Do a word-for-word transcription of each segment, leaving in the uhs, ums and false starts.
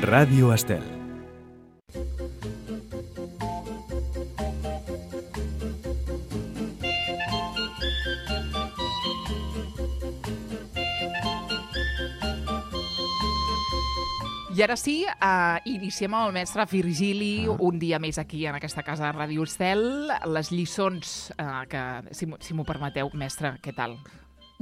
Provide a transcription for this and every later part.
Ràdio Estel. I ara sí, uh, iniciem amb el mestre Virgili, ah. un dia més aquí en aquesta casa de Ràdio Estel. Les lliçons, uh, que, si, si m'ho permeteu, mestre, què tal?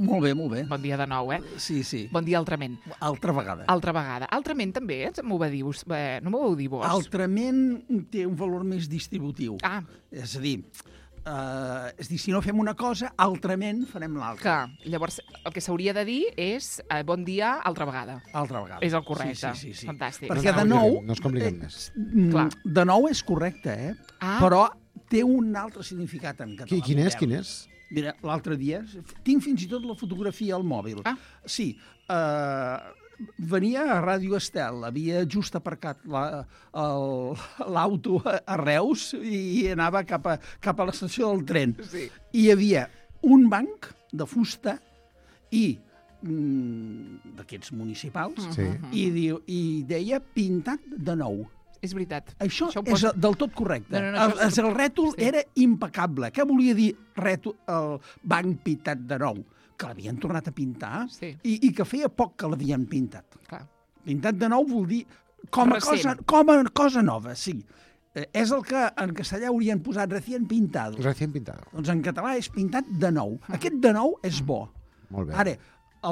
Molt bé, molt bé. Bon dia de nou, eh? Sí, sí. Bon dia altrament. Altra vegada. Altra vegada. Altrament també, eh? M'ho va dir, eh, no m'ho vau dir vos? Altrament té un valor més distributiu. Ah. És a dir, uh, és dir, si no fem una cosa, altrament farem l'altra. Clar, llavors el que s'hauria de dir és eh, bon dia altra vegada. Altra vegada. És el correcte. Sí, sí, sí, sí. Fantàstic. Perquè de nou... No es compliquem més. Eh, de nou és correcte, eh? Ah. Però té un altre significat en català. Quin és, quin és? Mira, l'altre dia, tinc fins i tot la fotografia al mòbil. Ah. Sí, eh, venia a Ràdio Estel, havia just aparcat l'auto la, a Reus i anava cap a, cap a l'estació del tren. Sí. I hi havia un banc de fusta i mm, d'aquests municipals, Sí. i, diu, i deia pintat de nou. És veritat. Això, Això ho és posa- del tot correcte. No, no, no, el, això- el rètol Sí. era impecable. Què volia dir rètol, el banc pintat de nou? Que l'havien tornat a pintar Sí. i, i que feia poc que l'havien pintat. Clar. Pintat de nou vol dir com a, Recent. cosa, com a cosa nova, sí. Eh, és el que en castellà haurien posat recién pintado. Recién pintado. Doncs en català és pintat de nou. Aquest de nou és bo. Molt bé. Ara,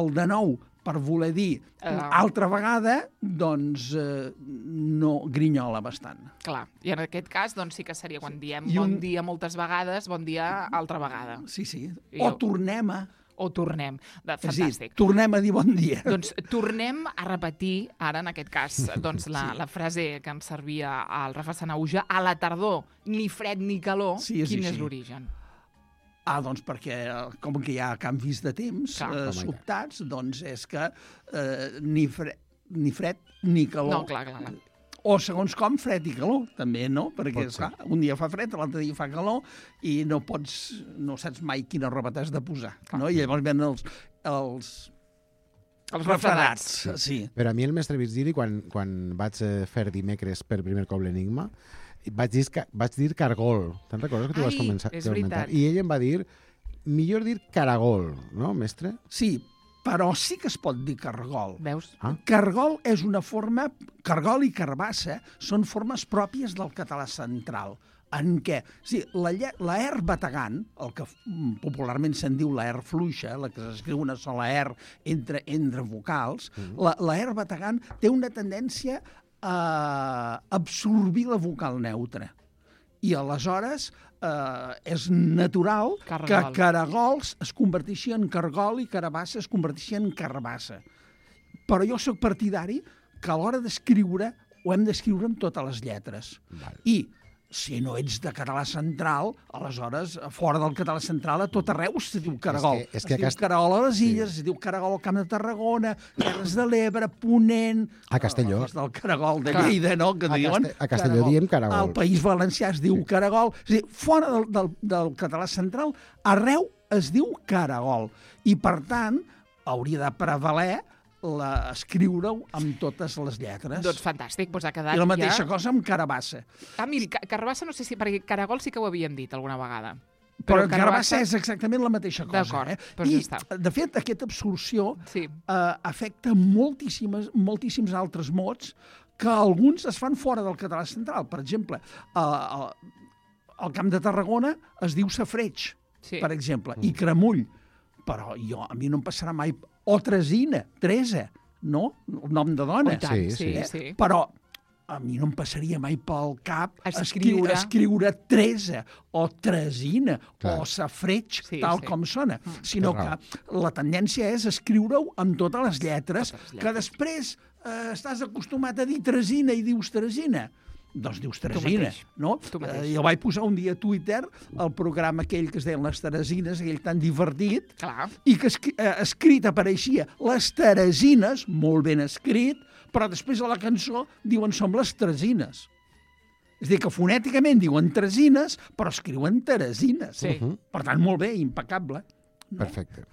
el de nou, per voler dir Uh. altra vegada, doncs eh, no grinyola bastant. Clar. I en aquest cas, doncs sí que seria quan diem I un- bon dia moltes vegades, bon dia altra vegada. Sí, sí. I O jo- tornem a... O tornem. De, És a dir, fantàstic. tornem a dir bon dia. Doncs tornem a repetir, ara en aquest cas, doncs la, Sí. la frase que ens servia al Rafa Sanauja, a la tardor, ni fred ni calor, Sí, és quin és així. l'origen? Ah, doncs perquè eh, com que hi ha canvis de temps Clar. eh, Home, i tant. sobtats, doncs és que eh, ni, fre ni fred ni calor. No, clar, clar, clar. O segons com, fred i calor, també, no? Perquè, Pot ser. esclar, un dia fa fred, l'altre dia fa calor, i no pots, no saps mai quina roba t'has de posar, no? I llavors venen els, els, Els refredats. refredats. Sí. Però a mi el mestre Virgili, quan, quan vaig eh, fer dimecres per primer cop l'Enigma, vaig dir, ca- vaig dir cargol. Te'n recordes que tu Ai, vas començar? és comentar? veritat. I ell em va dir, millor dir caragol, no, mestre? Sí, però sí que es pot dir cargol. Veus? Ah. Cargol és una forma... Cargol i carbassa són formes pròpies del català central, en què sí, la, lle- la R bategant, el que mm, popularment se'n diu la R fluixa, la que s'escriu una sola R entre, entre vocals, mm. la, la R bategant té una tendència a absorbir la vocal neutra. I aleshores eh, és natural Cargol. que caragols es converteixin en cargol i carabassa es converteixin en carbassa. Però jo sóc partidari que a l'hora d'escriure ho hem d'escriure amb totes les lletres. Val. I si no ets de català central, aleshores, fora del català central, a tot arreu se diu caragol. És que- és que es diu aquest- caragol a les Illes, sí. Es diu caragol al Camp de Tarragona, Terres de l'Ebre, Ponent... A Castelló. Oh, és del caragol de Clar. Lleida, no?, que A diuen... Caste- a Castelló diem caragol. Al País Valencià es diu caragol. És a dir, fora del, del, del català central, arreu es diu caragol. I, per tant, hauria de prevaler la, escriure-ho amb totes les lletres. Doncs fantàstic, doncs ha quedat I la mateixa ja... cosa amb carabassa. Ah, miri, ca- carbassa no sé si... Perquè caragol sí que ho havíem dit alguna vegada. Però, però carabassa és exactament la mateixa cosa. D'acord, Eh? doncs I, ja està. de fet, aquesta absorció Sí. eh, afecta moltíssimes, moltíssims altres mots que alguns es fan fora del català central. Per exemple, eh, al, al Camp de Tarragona es diu safreig, Sí. per exemple, i cremull. Però jo, a mi no em passarà mai... O Tresina, Teresa, no? El nom de dona. Oh, i tant, Sí, sí, sí. sí. Però a mi no em passaria mai pel cap Escriure. escriure, escriure Teresa o Tresina Clar. o Safreig, Sí, tal sí. com sona, sinó Té raó. que la tendència és escriure-ho amb totes les lletres, Totes les que lletres. després eh, estàs acostumat a dir Tresina i dius Tresina. Doncs dius Teresina, mateix. no? Tu mateix. Eh, jo vaig posar un dia a Twitter el programa aquell que es deien Les Teresines, aquell tan divertit, Clar. i que escri eh, escrit apareixia Les Teresines, molt ben escrit, però després a la cançó diuen som les Teresines. És a dir, que fonèticament diuen Teresines, però escriuen Teresines. Sí. Per tant, molt bé, impecable. Perfecte.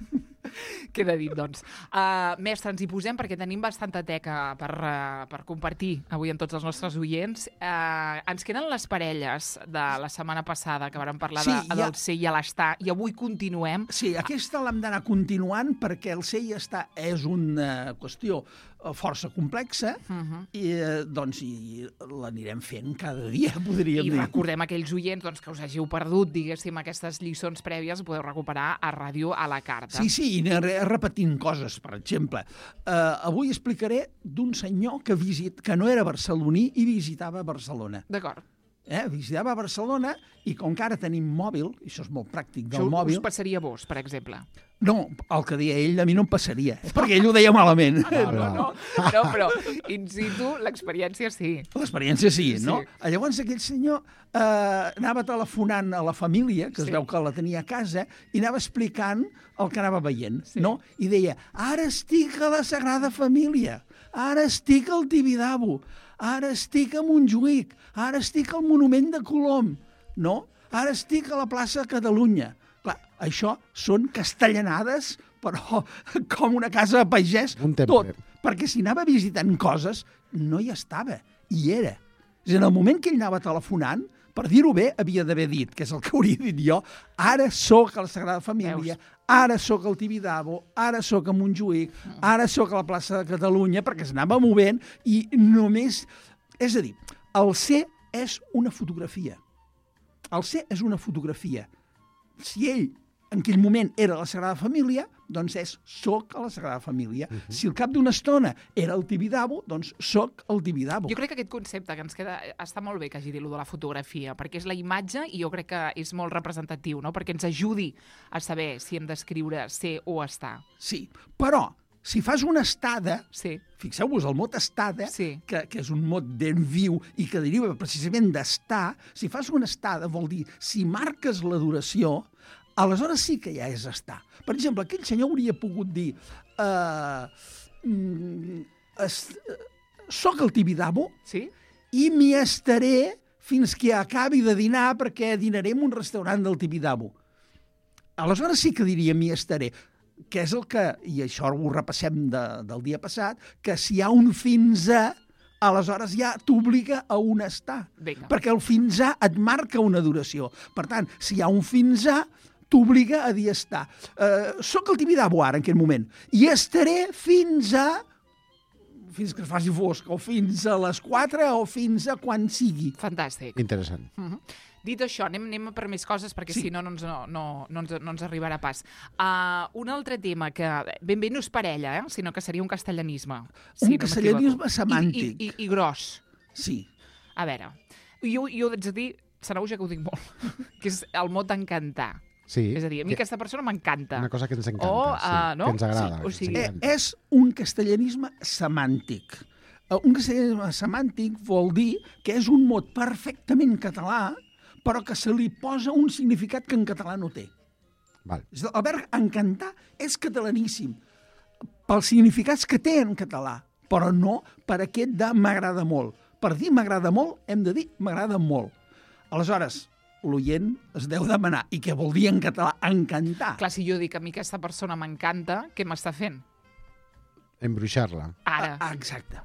Queda dit, doncs. Uh, mestre, ens hi posem perquè tenim bastanta teca per, uh, per compartir avui amb tots els nostres oients. Uh, ens queden les parelles de la setmana passada, que vàrem parlar Sí, de, ja- del ser i l'estar, i avui continuem. Sí, aquesta l'hem d'anar continuant perquè el ser i estar és una qüestió eh, força complexa Uh -huh. i eh, doncs i l'anirem fent cada dia, podríem I dir. recordem a aquells oients doncs, que us hàgiu perdut, diguéssim, aquestes lliçons prèvies, podeu recuperar a Ràdio a la Carta. Sí, sí, i aniré repetint coses. Per exemple, eh, avui explicaré d'un senyor que, visit, que no era barceloní i visitava Barcelona. D'acord. Eh? Visitava Barcelona i com que ara tenim mòbil, i això és molt pràctic del Això mòbil... us passaria a vos, per exemple. No, el que deia ell a mi no em passaria, eh? perquè ell ho deia malament. No, no, no, no però in situ l'experiència sí. L'experiència sí, no? Sí. Llavors aquell senyor eh, anava telefonant a la família, que es Sí. veu que la tenia a casa, i anava explicant el que anava veient, Sí. no? I deia, ara estic a la Sagrada Família, ara estic al Tibidabo, ara estic a Montjuïc, ara estic al Monument de Colom, no? Ara estic a la plaça de Catalunya. Clar, això són castellanades, però com una casa de pagès, Un temple. tot. Perquè si anava visitant coses, no hi estava, hi era. És a dir, en el moment que ell anava telefonant, per dir-ho bé, havia d'haver dit, que és el que hauria dit jo, ara sóc a la Sagrada Família, Veus? ara sóc al Tibidabo, ara sóc a Montjuïc, ara sóc a la plaça de Catalunya, perquè s'anava movent i només... És a dir, el ser és una fotografia. El ser és una fotografia. Si ell en aquell moment era la Sagrada Família, doncs és soc a la Sagrada Família. Uh -huh. Si al cap d'una estona era el Tibidabo, doncs soc el Tibidabo. Jo crec que aquest concepte que ens queda està molt bé que hagi dit lo de la fotografia, perquè és la imatge i jo crec que és molt representatiu, no? Perquè ens ajudi a saber si hem d'escriure ser o estar. Sí, però si fas una estada, Sí. fixeu-vos, el mot estada, Sí. que, que és un mot ben viu i que deriva precisament d'estar, si fas una estada vol dir, si marques la duració, aleshores sí que ja és estar. Per exemple, aquell senyor hauria pogut dir uh, mm, es, uh, soc el Tibidabo Sí? i m'hi estaré fins que acabi de dinar perquè dinaré en un restaurant del Tibidabo. Aleshores sí que diria m'hi estaré, que és el que, i això ho repassem de, del dia passat, que si hi ha un fins a, aleshores ja t'obliga a un estar. Vinga. Perquè el fins a et marca una duració. Per tant, si hi ha un fins a, t'obliga a dir estar. Uh, soc el Tibidabo ara, en aquest moment, i estaré fins a fins que es faci fosc, o fins a les quatre, o fins a quan sigui. Fantàstic. Interessant. Uh -huh. Dit això, anem, anem per més coses, perquè Sí. si no no ens, no, no, no, ens, no ens arribarà pas. Uh, un altre tema que ben bé no és parella, eh? Sinó que seria un castellanisme. Un no castellanisme m'equivoco. semàntic. I, i, i, I gros. Sí. A veure, jo, jo haig de dir, Sanaúja, que ho dic molt, que és el mot encantar. Sí. És a dir, a mi que- aquesta persona m'encanta. Una cosa que ens encanta, O, sí, uh, no? que ens agrada. Sí, o que ens sigui- Eh, encanta. és un castellanisme semàntic. Eh, Un castellanisme semàntic vol dir que és un mot perfectament català, però que se li posa un significat que en català no té. Val. És a dir, El verb encantar és catalaníssim pels significats que té en català, però no per aquest de m'agrada molt. Per dir m'agrada molt, hem de dir m'agrada molt. Aleshores, l'oient es deu demanar, i què vol dir en català encantar? Clar, si jo dic que a mi aquesta persona m'encanta, què m'està fent? Embruixar-la. Ara. Ah, exacte.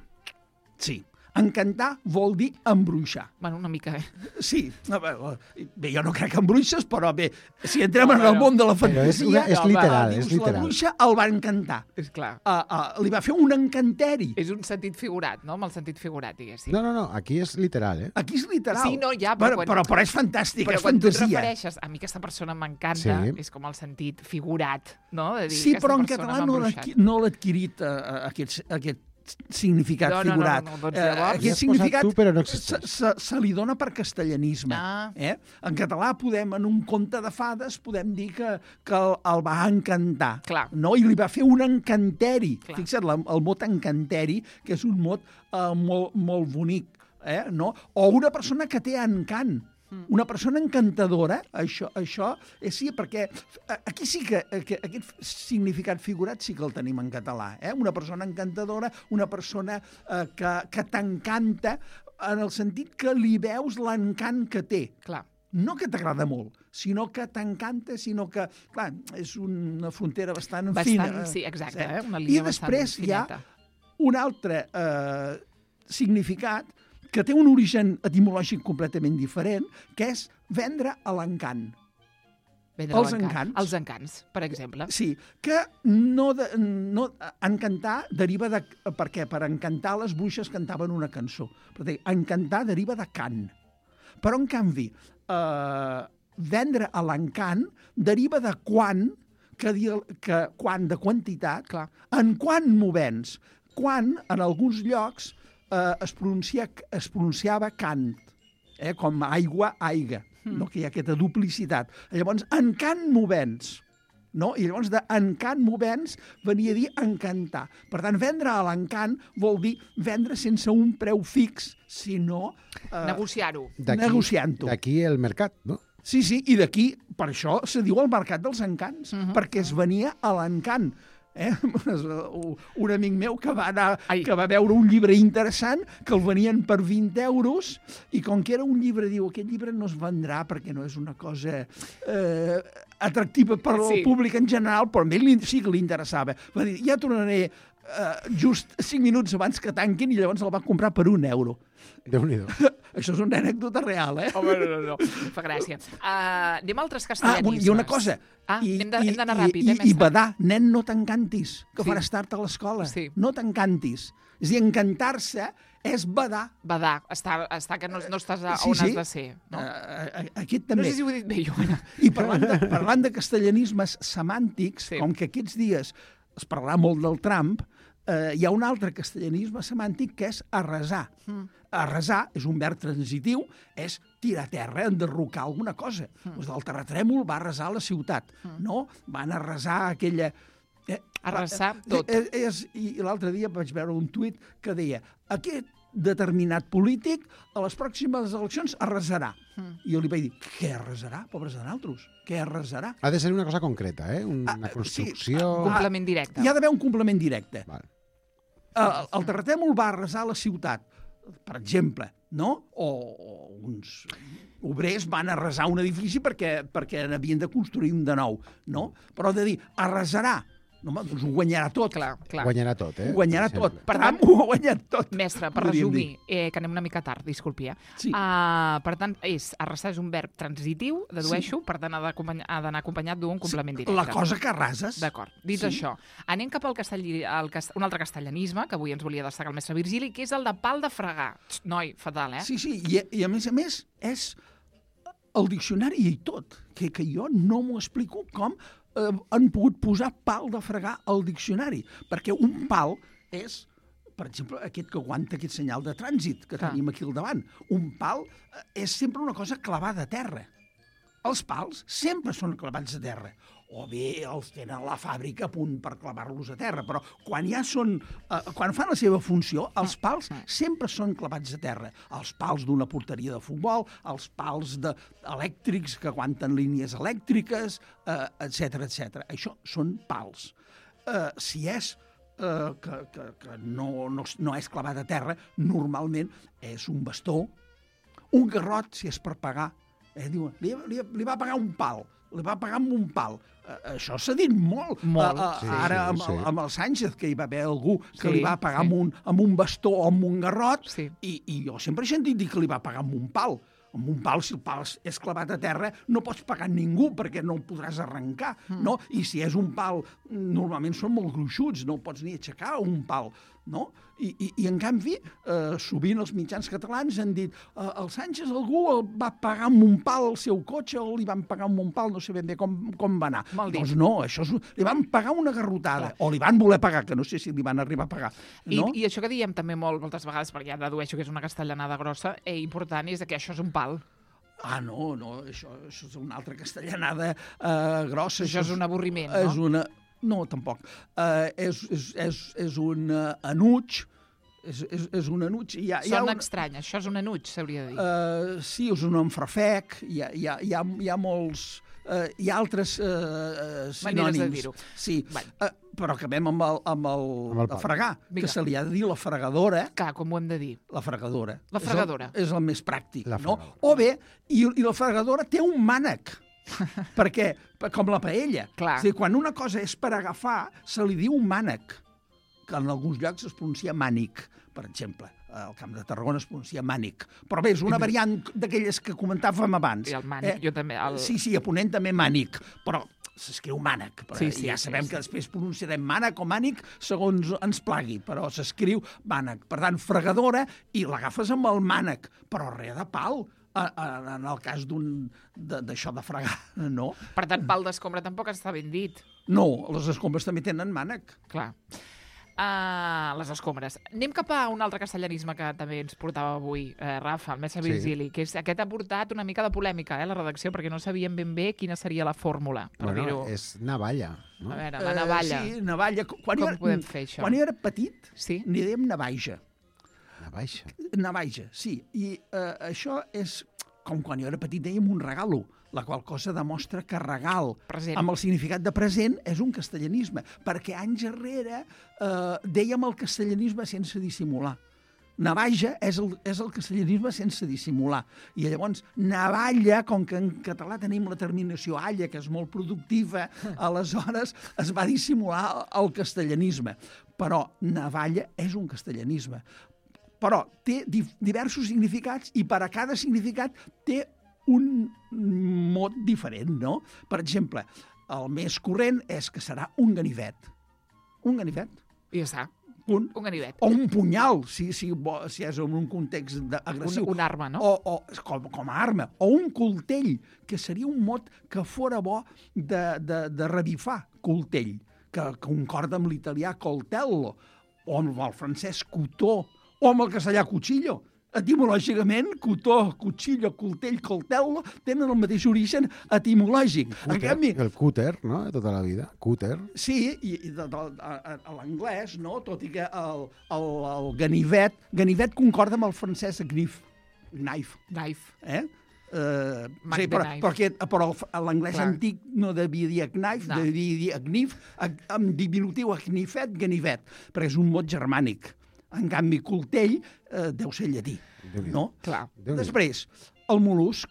Sí. Encantar vol dir embruixar. Bueno, una mica, eh? Sí. A veure, bé, jo no crec en bruixes, però bé, si entrem No, en no, el no. món de la Però és, fantasia... una, és home, literal, dius, és la literal. bruixa el va encantar. És clar. Uh, uh, li va fer un encanteri. És un sentit figurat, no? Amb el sentit figurat, diguéssim. No, no, no, aquí és literal, eh? Aquí és literal. Sí, no, ja, però però, quan- però, però és fantàstic, Però és quan tu et fantasia. refereixes a mi aquesta persona m'encanta, Sí. és com el sentit figurat, no? De dir, Sí, aquesta però en persona català m'ha no l'ha embruixat. adqui- no l'ha adquirit uh, aquest, aquest significat No, no, no, figurat. no, no, doncs Eh, llavors- L'hi has aquest posat significat tu, però no se, existeix. se, se li dona per castellanisme. Ah. Eh? En català podem, en un conte de fades, podem dir que, que el, el va encantar. Clar. No? I li va fer un encanteri. Clar. Fixa't, la, el mot encanteri, que és un mot eh, molt, molt bonic. Eh? No? O una persona que té encant. Una persona encantadora, això, això és sí, perquè aquí sí que, que aquest significat figurat sí que el tenim en català. Eh? Una persona encantadora, una persona eh, que, que t'encanta en el sentit que li veus l'encant que té. Clar. No que t'agrada molt, sinó que t'encanta, sinó que, clar, és una frontera bastant, Bastant, fina. sí, exacte, eh? eh? Una línia I després bastant hi ha fineta. un altre eh, significat que té un origen etimològic completament diferent, que és vendre a l'encant. Vendre els l'encant. encants. Els encants, per exemple. Sí, que no, de, no encantar deriva de... Per què? Per encantar les bruixes cantaven una cançó. Per dir, encantar deriva de cant. Però, en canvi, eh, vendre a l'encant deriva de quan, que, di, que quan de quantitat, Clar. en quan m'ho vens. Quan, en alguns llocs, eh, es, pronuncia, es pronunciava cant, eh, com aigua, aiga, mm. no? Que hi ha aquesta duplicitat. Llavors, en cant m'ho vens. No? I llavors de encant movents venia a dir encantar. Per tant, vendre a l'encant vol dir vendre sense un preu fix, sinó... Eh, Negociar-ho. negociant-ho. D'aquí el mercat, no? Sí, sí, i d'aquí, per això se diu el mercat dels encants, uh-huh. perquè es venia a l'encant. Eh? Un amic meu que va, anar, que va veure un llibre interessant que el venien per vint euros i com que era un llibre, diu, aquest llibre no es vendrà perquè no és una cosa eh, atractiva per al sí. públic en general, però a ell sí que li interessava. Va dir, ja tornaré eh, just cinc minuts abans que tanquin i llavors el va comprar per un euro. Déu-n'hi-do. Això és una anècdota real, eh? Home, no, no, no. Fa gràcia. Uh, anem a altres castellanismes. Ah, i una cosa. Ah, I, hem d'anar ràpid, i, eh, mestre? I badar, nen, no t'encantis, que sí. faràs tard a l'escola. Sí. No t'encantis. És a dir, encantar-se és badar. Badar, està, està que no, no estàs a, sí, on sí. has de ser. No? Uh, aquest també. No sé si ho he dit bé, jo. I parlant de, parlant de castellanismes semàntics, sí. com que aquests dies es parlarà molt del Trump, eh, hi ha un altre castellanisme semàntic que és arrasar. Mm. Arrasar és un verb transitiu, és tirar a terra, enderrocar alguna cosa. Mm. Doncs el terratrèmol va arrasar la ciutat, mm. no? Van arrasar aquella... Eh, arrasar tot. Eh, eh, és, I l'altre dia vaig veure un tuit que deia aquest determinat polític a les pròximes eleccions arrasarà. Mm. I jo li vaig dir, què arrasarà? Pobres de naltros, què arrasarà? Ha de ser una cosa concreta, eh? Una ah, construcció... Sí. Un complement directe. Hi ha d'haver un complement directe. Val. El, el terratrèmol va arrasar la ciutat, per exemple, no? O, o uns obrers van arrasar un edifici perquè, perquè n'havien de construir un de nou, no? Però de dir, arrasarà, no, doncs ho guanyarà tot. Clar, clar. Guanyarà tot, eh? Ho guanyarà tot. Per tant, ho ha guanyat tot. Mestre, per resumir, eh, que anem una mica tard, disculpi, eh? Sí. Uh, per tant, és, arrasar és un verb transitiu, dedueixo, sí. per tant ha d'anar acompanyat d'un complement directe. La cosa que arrases. D'acord. Dit sí. això, anem cap al castelli, al cast... un altre castellanisme, que avui ens volia destacar el mestre Virgili, que és el de pal de fregar. Noi, fatal, eh? Sí, sí, i, i a més a més és el diccionari i tot, que, que jo no m'ho explico com eh, han pogut posar pal de fregar al diccionari, perquè un pal és, per exemple, aquest que aguanta aquest senyal de trànsit que Clar. tenim aquí al davant. Un pal és sempre una cosa clavada a terra. Els pals sempre són clavats a terra. O bé els tenen a la fàbrica a punt per clavar-los a terra, però quan ja són, eh, quan fan la seva funció, els pals sempre són clavats a terra. Els pals d'una porteria de futbol, els pals de, elèctrics que aguanten línies elèctriques, eh, etcètera, etcètera. Això són pals. Eh, si és eh, que, que, que no, no, no és clavat a terra, normalment és un bastó, un garrot, si és per pagar. Eh, diuen, li, li, li va pagar un pal, li va pagar amb un pal. Uh, això s'ha dit molt. Molt. Uh, uh, Sí, ara sí, amb, sí. amb el Sánchez, que hi va haver algú que Sí, li va pagar sí. amb, un, amb un bastó o amb un garrot, Sí. i, i jo sempre he sentit dir que li va pagar amb un pal. Amb un pal, si el pal és clavat a terra, no pots pagar ningú perquè no el podràs arrencar, mm. no? I si és un pal, normalment són molt gruixuts, no el pots ni aixecar un pal, no? I, i, i en canvi, eh, sovint els mitjans catalans han dit eh, el Sánchez algú el va pagar amb un pal el seu cotxe o li van pagar amb un pal, no sé ben bé com, com va anar. Mal dit. Doncs no, això és, li van pagar una garrotada, o li van voler pagar, que no sé si li van arribar a pagar. No? I, I això que diem també molt, moltes vegades, perquè ja dedueixo que és una castellanada grossa, eh, important és que això és un pal. Ah, no, no, això, això és una altra castellanada eh, grossa. Això és un avorriment, és no? Una... No, tampoc. Uh, és, és, és, és un uh, enuig, és, és, és un enuig. Hi ha, hi ha Sona un... estrany, això és un enuig, s'hauria de dir. Uh, sí, és un enfrafec, hi ha, hi ha, hi ha, hi ha molts... Uh, hi ha altres uh, sinònims. Maneres de dir-ho. Sí, Bueno. uh, però acabem amb el, amb el, Amb el el fregar, Vinga. que se li ha de dir la fregadora. Clar, com ho hem de dir? La fregadora. La fregadora. És el, és el més pràctic, La no? fregadora. O bé, i, i la fregadora té un mànec. Perquè, com la paella, Clar. és a dir, quan una cosa és per agafar, se li diu mànec, que en alguns llocs es pronuncia mànic, per exemple. Al Camp de Tarragona es pronuncia mànic. Però bé, és una variant d'aquelles que comentàvem abans. I el mànic, jo també. El... Sí, sí, a Ponent també mànic, però s'escriu mànec. Però Sí, sí, ja sí, sabem sí. que després pronunciarem mànec o mànic segons ens plagui, però s'escriu mànec. Per tant, fregadora, i l'agafes amb el mànec, però res de pal, en el cas d'un d'això de fregar, no? Per tant, pal d'escombra tampoc està ben dit. No, les escombres també tenen mànec. Clar. Uh, les escombres. Anem cap a un altre castellanisme que també ens portava avui, eh, Rafa, el mestre Sí. Virgili, que és, aquest ha portat una mica de polèmica, eh, la redacció, perquè no sabíem ben bé quina seria la fórmula. Per Bueno, dir-ho. és navalla, no? A veure, la navalla. Eh, sí, navalla. Quan Com jo era, podem fer això? Quan jo era petit, Sí? n'hi dèiem navaja. Navaja. Navaja, sí. I eh, això és, com quan jo era petit dèiem un regalo, la qual cosa demostra que regal, Present. amb el significat de present, és un castellanisme, perquè anys enrere eh, dèiem el castellanisme sense dissimular. Navaja és el, és el castellanisme sense dissimular. I llavors, navalla, com que en català tenim la terminació alla, que és molt productiva, aleshores es va dissimular el castellanisme. Però navalla és un castellanisme. Però té di diversos significats i per a cada significat té un mot diferent, no? Per exemple, el més corrent és que serà un ganivet. Un ganivet. I ja està. Un, Un ganivet. o un punyal, si, si, bo- si és en un context de- agressiu. Un, una arma, no? O, o com, com a arma. O un coltell, que seria un mot que fora bo de, de, de revifar, coltell, que concorda amb l'italià coltello, o amb el francès cotó, o amb el castellà cuchillo. Etimològicament, cotó, cuchillo, coltell, coltello, tenen el mateix origen etimològic. En Cúter, canvi, el cúter, no?, de tota la vida. Cúter. sí, i, i de, de, a, a l'anglès, no? Tot i que el, el, el ganivet, ganivet concorda amb el francès knif, knife, Knife. eh? Uh, Mac sí, the però, knife. perquè, però el- l'anglès Clar. antic no devia dir knife, No. no. devia dir knif, amb diminutiu knifet, ganivet, perquè és un mot germànic. En canvi, coltell eh, deu ser llatí, Déu-n'hi-do. no? Clar. Déu-n'hi-do. Després, el mol·lusc.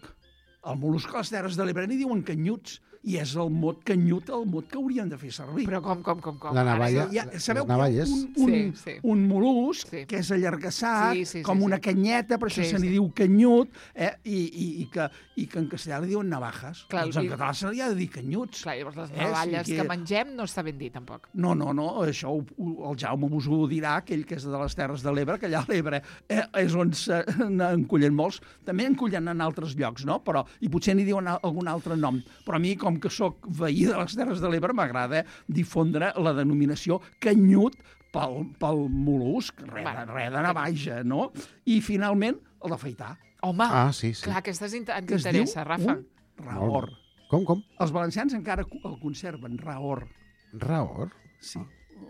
El mol·lusc a les Terres de l'Ebre n'hi diuen canyuts, i és el mot canyut el mot que hauríem de fer servir. Però com, com, com, com? La Ara navalla- sí. Hi ha, sabeu les navalles. que hi ha un, un, Sí, sí. un mol·lusc Sí. que és allargassat, Sí, sí, sí, com sí. una canyeta, per això Sí, se n'hi sí. diu canyut, eh? I, i, i, que, i que en castellà li diuen navajas. Clar, doncs en i- català se li ha de dir canyuts. Clar, llavors les Eh, navalles sí que... que- mengem no està ben dit, tampoc. No, no, no, això ho, ho, el Jaume vos ho dirà, aquell que és de les Terres de l'Ebre, que allà a l'Ebre eh, és on se n'encullen molts. També en cullen en altres llocs, no? Però, i potser n'hi diuen a- algun altre nom. Però a mi, com que sóc veí de les Terres de l'Ebre, m'agrada difondre la denominació canyut pel, pel mol·lusc, res, de, Bueno, res de navaja, no? I, finalment, el d'afaitar, Home, Ah, sí, sí. clar, aquesta és inter- que es diu t'interessa, Rafa. un raor. Com, com? Els valencians encara el conserven, raor. Raor? Sí,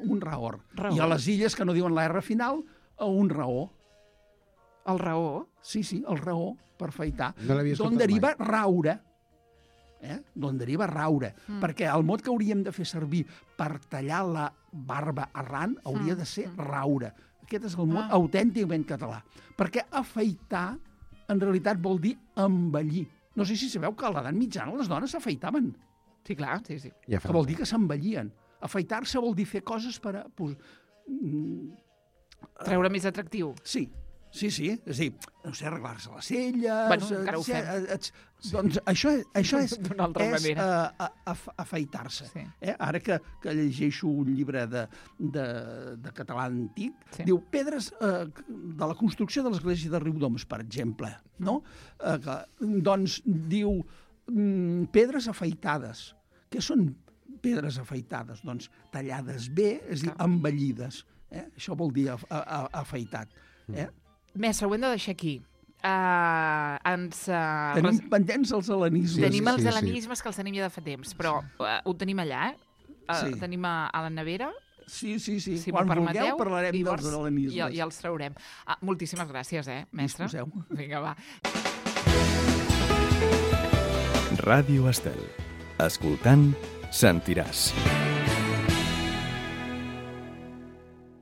un raor. Raor. I a les illes que no diuen la R final, a un raó. El raó. Sí, sí, el raó, per afaitar. No l'havia D'on escoltat deriva mai. raure. Eh? D'on deriva raure. Mm. Perquè el mot que hauríem de fer servir per tallar la barba arran hauria Mm, de ser mm. raure. Aquest és el mot Ah. autènticament català. Perquè afaitar, en realitat, vol dir embellir. No sé si sabeu que a l'edat mitjana les dones s'afaitaven, Sí, clar, sí, sí. Ja fa que vol dir que s'embellien. Afaitar-se vol dir fer coses per a... Pues, mm, Treure més atractiu. sí, sí, sí. És a dir, no sé, arreglar-se les celles... Bueno, encara ho etcè- fem. et- Doncs això, és- això és, D'una altra és manera. uh, af afaitar-se. Sí. Eh? Ara que, que llegeixo un llibre de, de, de català antic, Sí. diu pedres eh, de la construcció de l'església de Riudoms, per exemple. No? Eh, que, doncs diu mm, pedres afaitades. Què són pedres afaitades? Doncs tallades bé, és a dir, Clar. embellides. Eh? Això vol dir af a, a, afaitat. Eh? Mestre, ho hem de deixar aquí. Uh, ens... Uh, Tenim pendents els hel·lenismes. Sí, tenim sí, els sí. hel·lenismes que els tenim ja de fa temps, però uh, ho tenim allà, eh? Uh, Sí. Tenim a, a la nevera, Sí, sí, sí. si Quan m'ho vulgueu permeteu. parlarem llavors, dels hel·lenismes. Ja, ja els traurem. Ah, moltíssimes gràcies, eh, mestre? Disposeu. Vinga, va. Ràdio Estel. Escoltant, sentiràs.